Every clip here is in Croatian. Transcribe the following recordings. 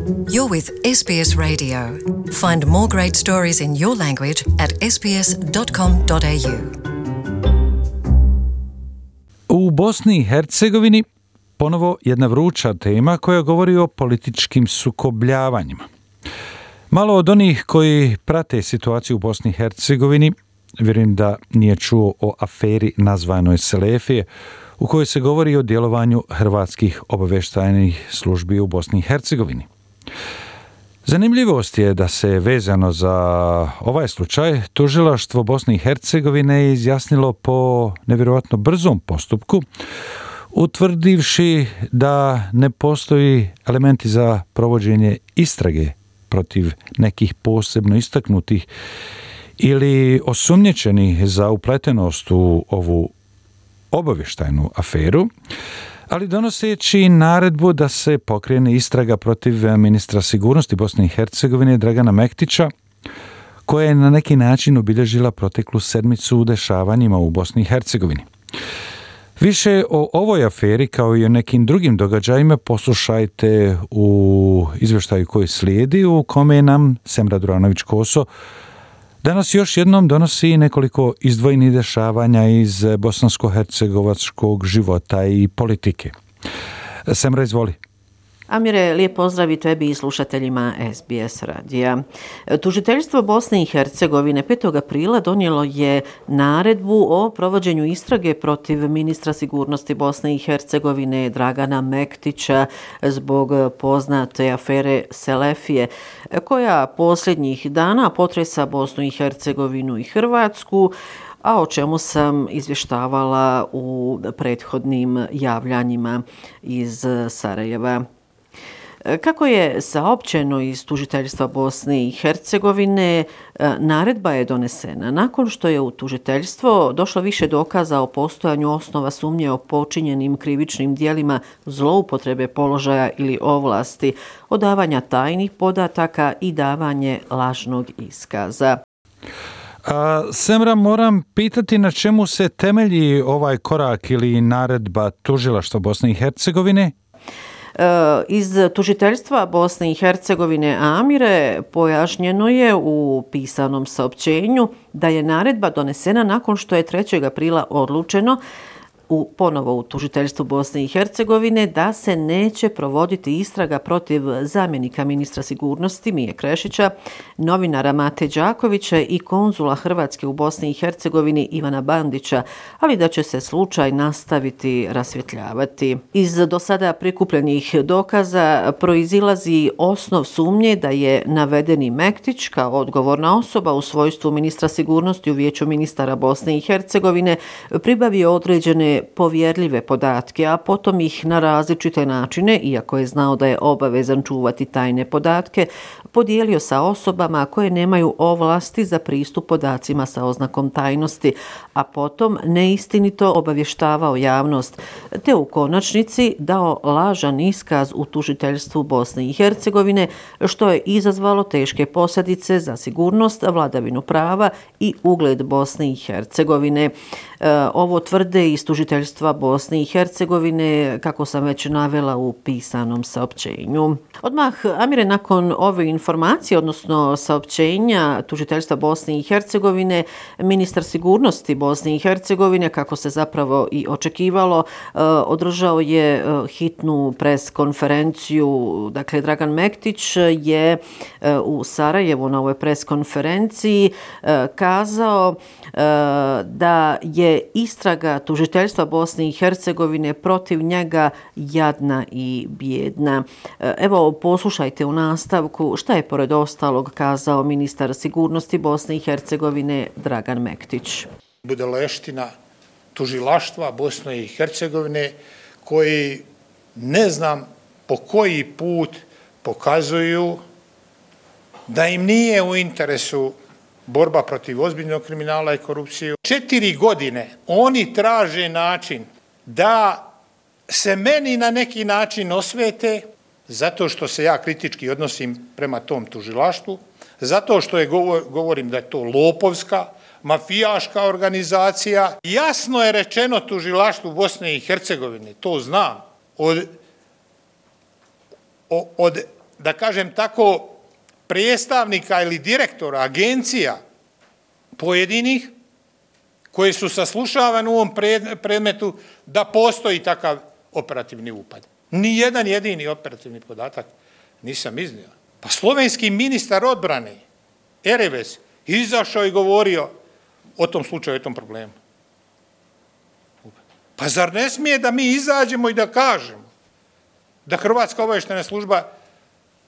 You're with SBS Radio. Find more great stories in your language at sbs.com.au. U Bosni i Hercegovini ponovo jedna vruća tema koja govori o političkim sukobljavanjima. Malo od onih koji prate situaciju u Bosni i Hercegovini, vjerujem da nije čuo o aferi nazvanoj Selefije, u kojoj se govori o djelovanju hrvatskih obavještajnih službi u Bosni i Hercegovini. Zanimljivost je da se vezano za ovaj slučaj tužilaštvo Bosne i Hercegovine izjasnilo po nevjerojatno brzom postupku, utvrdivši da ne postoji elementi za provođenje istrage protiv nekih posebno istaknutih ili osumnjičenih za upletenost u ovu obavještajnu aferu, ali donoseći naredbu da se pokrene istraga protiv ministra sigurnosti Bosne i Hercegovine Dragana Mektića, koja je na neki način obilježila proteklu sedmicu u dešavanjima u Bosni i Hercegovini. Više o ovoj aferi kao i o nekim drugim događajima poslušajte u izvještaju koji slijedi, u kome nam Semra Duranović-Koso danas još jednom donosi nekoliko izdvojenih dešavanja iz bosansko-hercegovačkog života i politike. Semra, izvoli. Amire, lijep pozdrav i tebi i slušateljima SBS radija. Tužiteljstvo Bosne i Hercegovine 5. aprila donijelo je naredbu o provođenju istrage protiv ministra sigurnosti Bosne i Hercegovine Dragana Mektića zbog poznate afere Selefije, koja posljednjih dana potresa Bosnu i Hercegovinu i Hrvatsku, a o čemu sam izvještavala u prethodnim javljanjima iz Sarajeva. Kako je saopćeno iz tužiteljstva Bosne i Hercegovine, naredba je donesena nakon što je u tužiteljstvo došlo više dokaza o postojanju osnova sumnje o počinjenim krivičnim djelima zloupotrebe položaja ili ovlasti, odavanja tajnih podataka i davanje lažnog iskaza. Semra, moram pitati na čemu se temelji ovaj korak ili naredba tužilaštva Bosne i Hercegovine? Iz tužiteljstva Bosne i Hercegovine, Amire, pojašnjeno je u pisanom saopćenju da je naredba donesena nakon što je 3. aprila odlučeno ponovo u tužiteljstvu Bosne i Hercegovine da se neće provoditi istraga protiv zamjenika ministra sigurnosti Mije Krešića, novinara Mate Đakovića i konzula Hrvatske u Bosni i Hercegovini Ivana Bandića, ali da će se slučaj nastaviti rasvjetljavati. Iz do sada prikupljenih dokaza proizilazi osnov sumnje da je navedeni Mektić kao odgovorna osoba u svojstvu ministra sigurnosti u Vijeću ministara Bosne i Hercegovine pribavio određene povjerljive podatke, a potom ih na različite načine, iako je znao da je obavezan čuvati tajne podatke, podijelio sa osobama koje nemaju ovlasti za pristup podacima sa oznakom tajnosti, a potom neistinito obavještavao javnost, te u konačnici dao lažan iskaz u tužiteljstvu Bosne i Hercegovine, što je izazvalo teške posljedice za sigurnost, vladavinu prava i ugled Bosne i Hercegovine. Ovo tvrde iz tužiteljstva Bosne i Hercegovine, kako sam već navela u pisanom saopćenju. Odmah, Amire, nakon ove informacije, odnosno saopćenja tužiteljstva Bosne i Hercegovine, ministar sigurnosti Bosne i Hercegovine, kako se zapravo i očekivalo, održao je hitnu pres konferenciju. Dakle, Dragan Mektić je u Sarajevu na ovoj pres konferenciji kazao da je istraga tužiteljstva Bosne i Hercegovine protiv njega jadna i bijedna. Evo, poslušajte u nastavku šta je pored ostalog kazao ministar sigurnosti Bosne i Hercegovine Dragan Mektić. Budalaština tužilaštva Bosne i Hercegovine koji ne znam po koji put pokazuju da im nije u interesu borba protiv ozbiljnog kriminala i korupcije. 4 godine oni traže način da se meni na neki način osvete zato što se ja kritički odnosim prema tom tužilaštvu, zato što govorim da je to lopovska, mafijaška organizacija. Jasno je rečeno tužilaštvu Bosne i Hercegovine, to znam, od da kažem tako, predstavnika ili direktora agencija pojedinih koji su saslušavani u ovom predmetu da postoji takav operativni upad. Ni jedan jedini operativni podatak nisam iznio. Pa slovenski ministar odbrane Ereves izašao i govorio o tom slučaju, o tom problemu. Pa zar ne smije da mi izađemo i da kažemo da Hrvatska obavještajna služba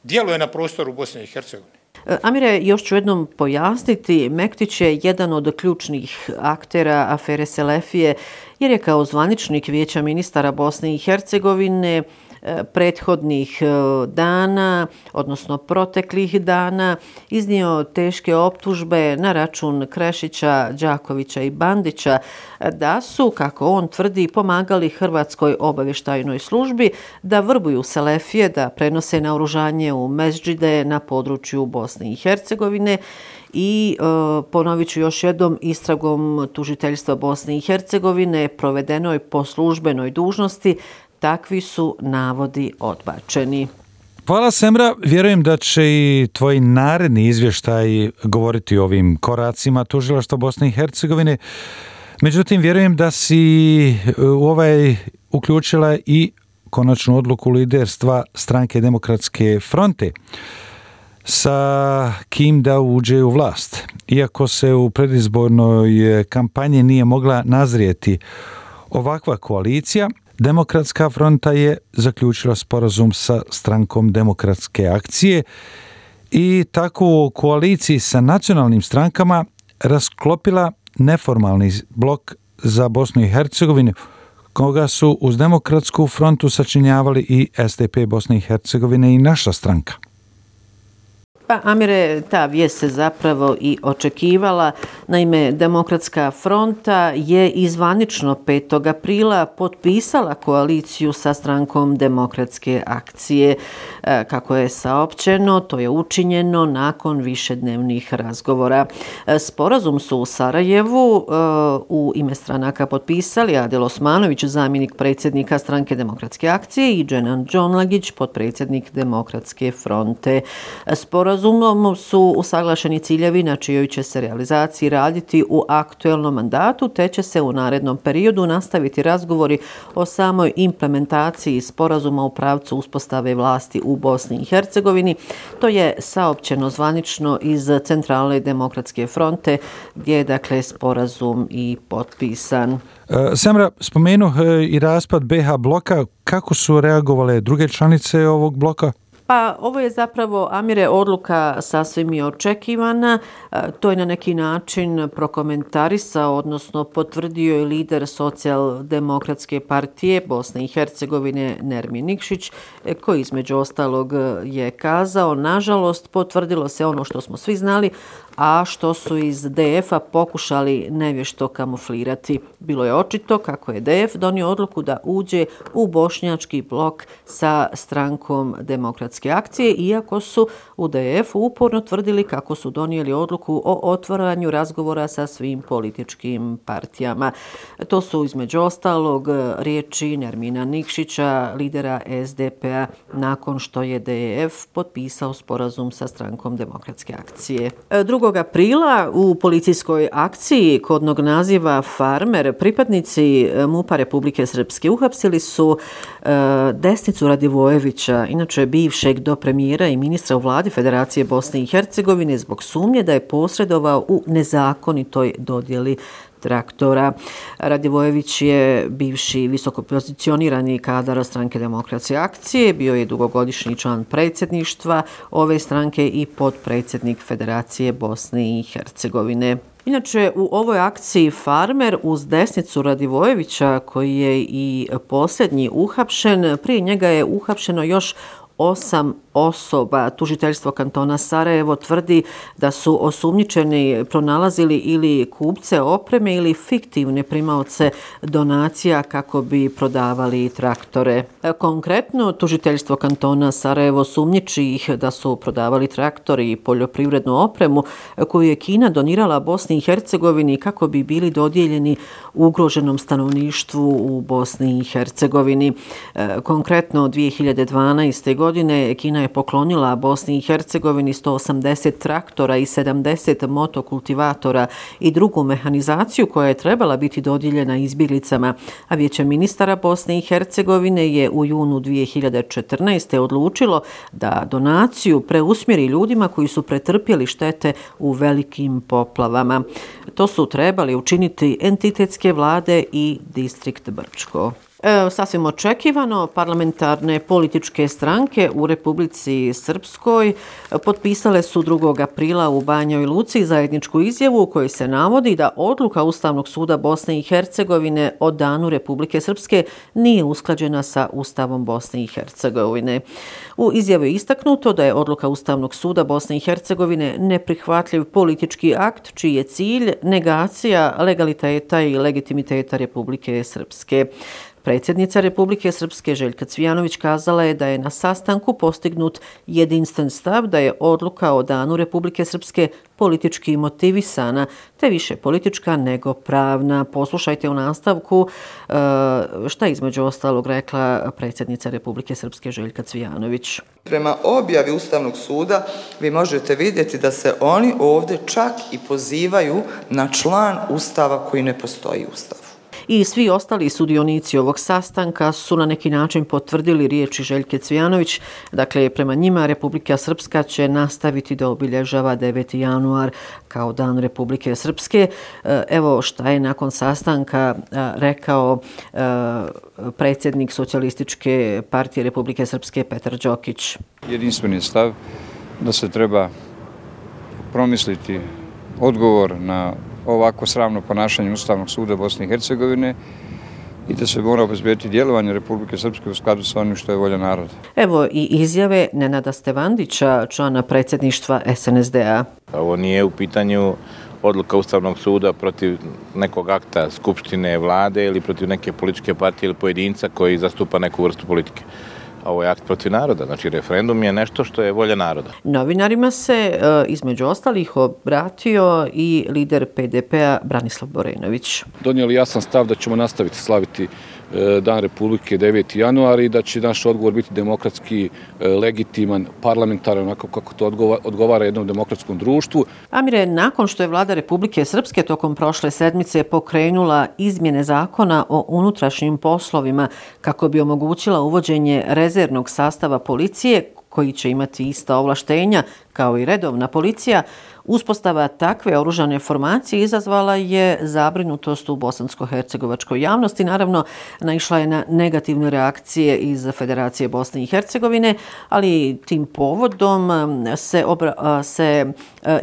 djeluje na prostoru Bosne i Hercegovine? Amire, još ću jednom pojasniti, Mektić je jedan od ključnih aktera afere Selefije, jer je kao zvaničnik Vijeća ministara Bosne i Hercegovine prethodnih dana, odnosno proteklih dana, iznio teške optužbe na račun Krešića, Đakovića i Bandića da su, kako on tvrdi, pomagali Hrvatskoj obavještajnoj službi da vrbuju Selefije, da prenose naoružanje u mezđide na području Bosne i Hercegovine. I ponovit ću još jednom, istragom tužiteljstva Bosne i Hercegovine provedenoj po službenoj dužnosti, takvi su navodi odbačeni. Hvala, Semra. Vjerujem da će i tvoj naredni izvještaj govoriti o ovim koracima tužilaštva Bosne i Hercegovine. Međutim, vjerujem da si u ovaj uključila i konačnu odluku liderstva Stranke Demokratske fronte sa kim da uđe u vlast. Iako se u predizbornoj kampanji nije mogla nazrijeti ovakva koalicija, Demokratska fronta je zaključila sporazum sa Strankom Demokratske akcije i tako u koaliciji sa nacionalnim strankama rasklopila neformalni blok za Bosnu i Hercegovinu, koga su uz Demokratsku frontu sačinjavali i SDP Bosne i Hercegovine i naša stranka. Pa, Amire, ta vijest se zapravo i očekivala. Naime, Demokratska fronta je izvanično 5. aprila potpisala koaliciju sa Strankom Demokratske akcije. Kako je saopćeno, to je učinjeno nakon višednevnih razgovora. Sporazum su u Sarajevu u ime stranaka potpisali Adel Osmanović, zamjenik predsjednika Stranke Demokratske akcije, i Dženan Džonlagić, potpredsjednik Demokratske fronte. Sporazumom su usaglašeni ciljevi na čijoj će se realizaciji raditi u aktuelnom mandatu, te će se u narednom periodu nastaviti razgovori o samoj implementaciji sporazuma u pravcu uspostave vlasti u Bosni i Hercegovini. To je saopćeno zvanično iz Centralne Demokratske fronte, gdje je dakle sporazum i potpisan. Semra, spomenuh i raspad BH bloka. Kako su reagovale druge članice ovog bloka? Pa ovo je zapravo, Amire, odluka sasvim i očekivana. To je na neki način prokomentarisao, odnosno potvrdio i lider Socijaldemokratske partije Bosne i Hercegovine Nermin Nikšić, koji između ostalog je kazao: nažalost, potvrdilo se ono što smo svi znali, a što su iz DF-a pokušali nevješto kamuflirati. Bilo je očito kako je DF donio odluku da uđe u bošnjački blok sa Strankom Demokratske akcije, iako su u DF-u uporno tvrdili kako su donijeli odluku o otvaranju razgovora sa svim političkim partijama. To su između ostalog riječi Nermina Nikšića, lidera SDP-a, nakon što je DF potpisao sporazum sa Strankom Demokratske akcije. 2. aprila u policijskoj akciji kodnog naziva Farmer pripadnici MUP-a Republike Srpske uhapsili su Desnicu Radivojevića, inače bivšeg dopremijera i ministra u vladi Federacije Bosne i Hercegovine, zbog sumnje da je posredovao u nezakonitoj dodjeli traktora. Radivojević je bivši visokopozicionirani kadar Stranke Demokratske akcije, bio je dugogodišnji član predsjedništva ove stranke i potpredsjednik Federacije Bosne i Hercegovine. Inače, u ovoj akciji Farmer uz Desnicu Radivojevića, koji je i posljednji uhapšen, prije njega je uhapšeno još 8 osoba. Tužiteljstvo kantona Sarajevo tvrdi da su osumnjičeni pronalazili ili kupce opreme ili fiktivne primaoce donacija kako bi prodavali traktore. Konkretno, tužiteljstvo kantona Sarajevo sumnjiči ih da su prodavali traktori i poljoprivrednu opremu koju je Kina donirala Bosni i Hercegovini kako bi bili dodijeljeni ugroženom stanovništvu u Bosni i Hercegovini. Konkretno, 2012. godine Kina je je poklonila Bosni i Hercegovini 180 traktora i 70 motokultivatora i drugu mehanizaciju koja je trebala biti dodijeljena izbjeglicama, a Vijeće ministara Bosne i Hercegovine je u junu 2014. odlučilo da donaciju preusmjeri ljudima koji su pretrpjeli štete u velikim poplavama. To su trebali učiniti entitetske vlade i distrikt Brčko. Sasvim očekivano, parlamentarne političke stranke u Republici Srpskoj potpisale su 2. aprila u Banjoj Luci zajedničku izjavu u kojoj se navodi da odluka Ustavnog suda Bosne i Hercegovine o danu Republike Srpske nije usklađena sa Ustavom Bosne i Hercegovine. U izjavi je istaknuto da je odluka Ustavnog suda Bosne i Hercegovine neprihvatljiv politički akt čiji je cilj negacija legaliteta i legitimiteta Republike Srpske. Predsjednica Republike Srpske Željka Cvijanović kazala je da je na sastanku postignut jedinstven stav da je odluka o danu Republike Srpske politički motivisana, te više politička nego pravna. Poslušajte u nastavku šta je između ostalog rekla predsjednica Republike Srpske Željka Cvijanović. Prema objavi Ustavnog suda vi možete vidjeti da se oni ovdje čak i pozivaju na član Ustava koji ne postoji u Ustavu. I svi ostali sudionici ovog sastanka su na neki način potvrdili riječi Željke Cvijanović. Dakle, prema njima Republika Srpska će nastaviti da obilježava 9. januar kao dan Republike Srpske. Evo šta je nakon sastanka rekao predsjednik Socijalističke partije Republike Srpske Petar Đokić. Jedinstveni stav da se treba promisliti odgovor na ovako sramno ponašanje Ustavnog suda Bosne i Hercegovine i da se mora obezbediti djelovanje Republike Srpske u skladu sa onim što je volja naroda. Evo i izjave Nenada Stevandića, člana predsjedništva SNSD-a. Ovo nije u pitanju odluka Ustavnog suda protiv nekog akta Skupštine, vlade ili protiv neke političke partije ili pojedinca koji zastupa neku vrstu politike. Ovo je akt protiv naroda, znači referendum je nešto što je volja naroda. Novinarima se između ostalih obratio i lider PDP-a Branislav Borenović. Donijeli jasan stav da ćemo nastaviti slaviti Dan Republike 9. januar i da će naš odgovor biti demokratski, legitiman, parlamentaran, onako kako to odgovara jednom demokratskom društvu. Amire, nakon što je vlada Republike Srpske tokom prošle sedmice pokrenula izmjene zakona o unutrašnjim poslovima kako bi omogućila uvođenje rezervnog sastava policije koji će imati ista ovlaštenja kao i redovna policija, uspostava takve oružane formacije izazvala je zabrinutost u bosansko-hercegovačkoj javnosti. Naravno, naišla je na negativne reakcije iz Federacije Bosne i Hercegovine, ali tim povodom se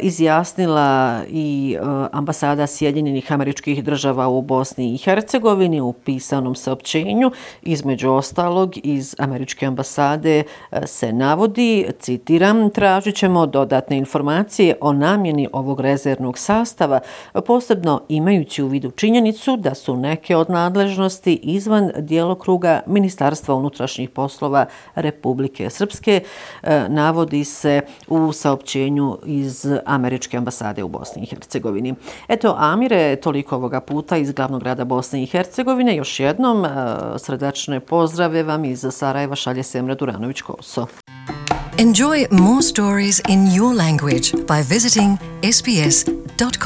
izjasnila i ambasada Sjedinjenih Američkih Država u Bosni i Hercegovini u pisanom saopćenju. Između ostalog, iz Američke ambasade se navodi, citiram, tražit ćemo dodatne informacije o namjeni ovog rezervnog sastava, posebno imajući u vidu činjenicu da su neke od nadležnosti izvan djelokruga Ministarstva unutrašnjih poslova Republike Srpske, navodi se u saopćenju iz Američke ambasade u Bosni i Hercegovini. Eto, Amire, toliko ovoga puta iz glavnog grada Bosne i Hercegovine. Još jednom srdačne pozdrave vam iz Sarajeva šalje Semra Duranović-Koso. Enjoy more stories in your language by visiting sbs.com.au.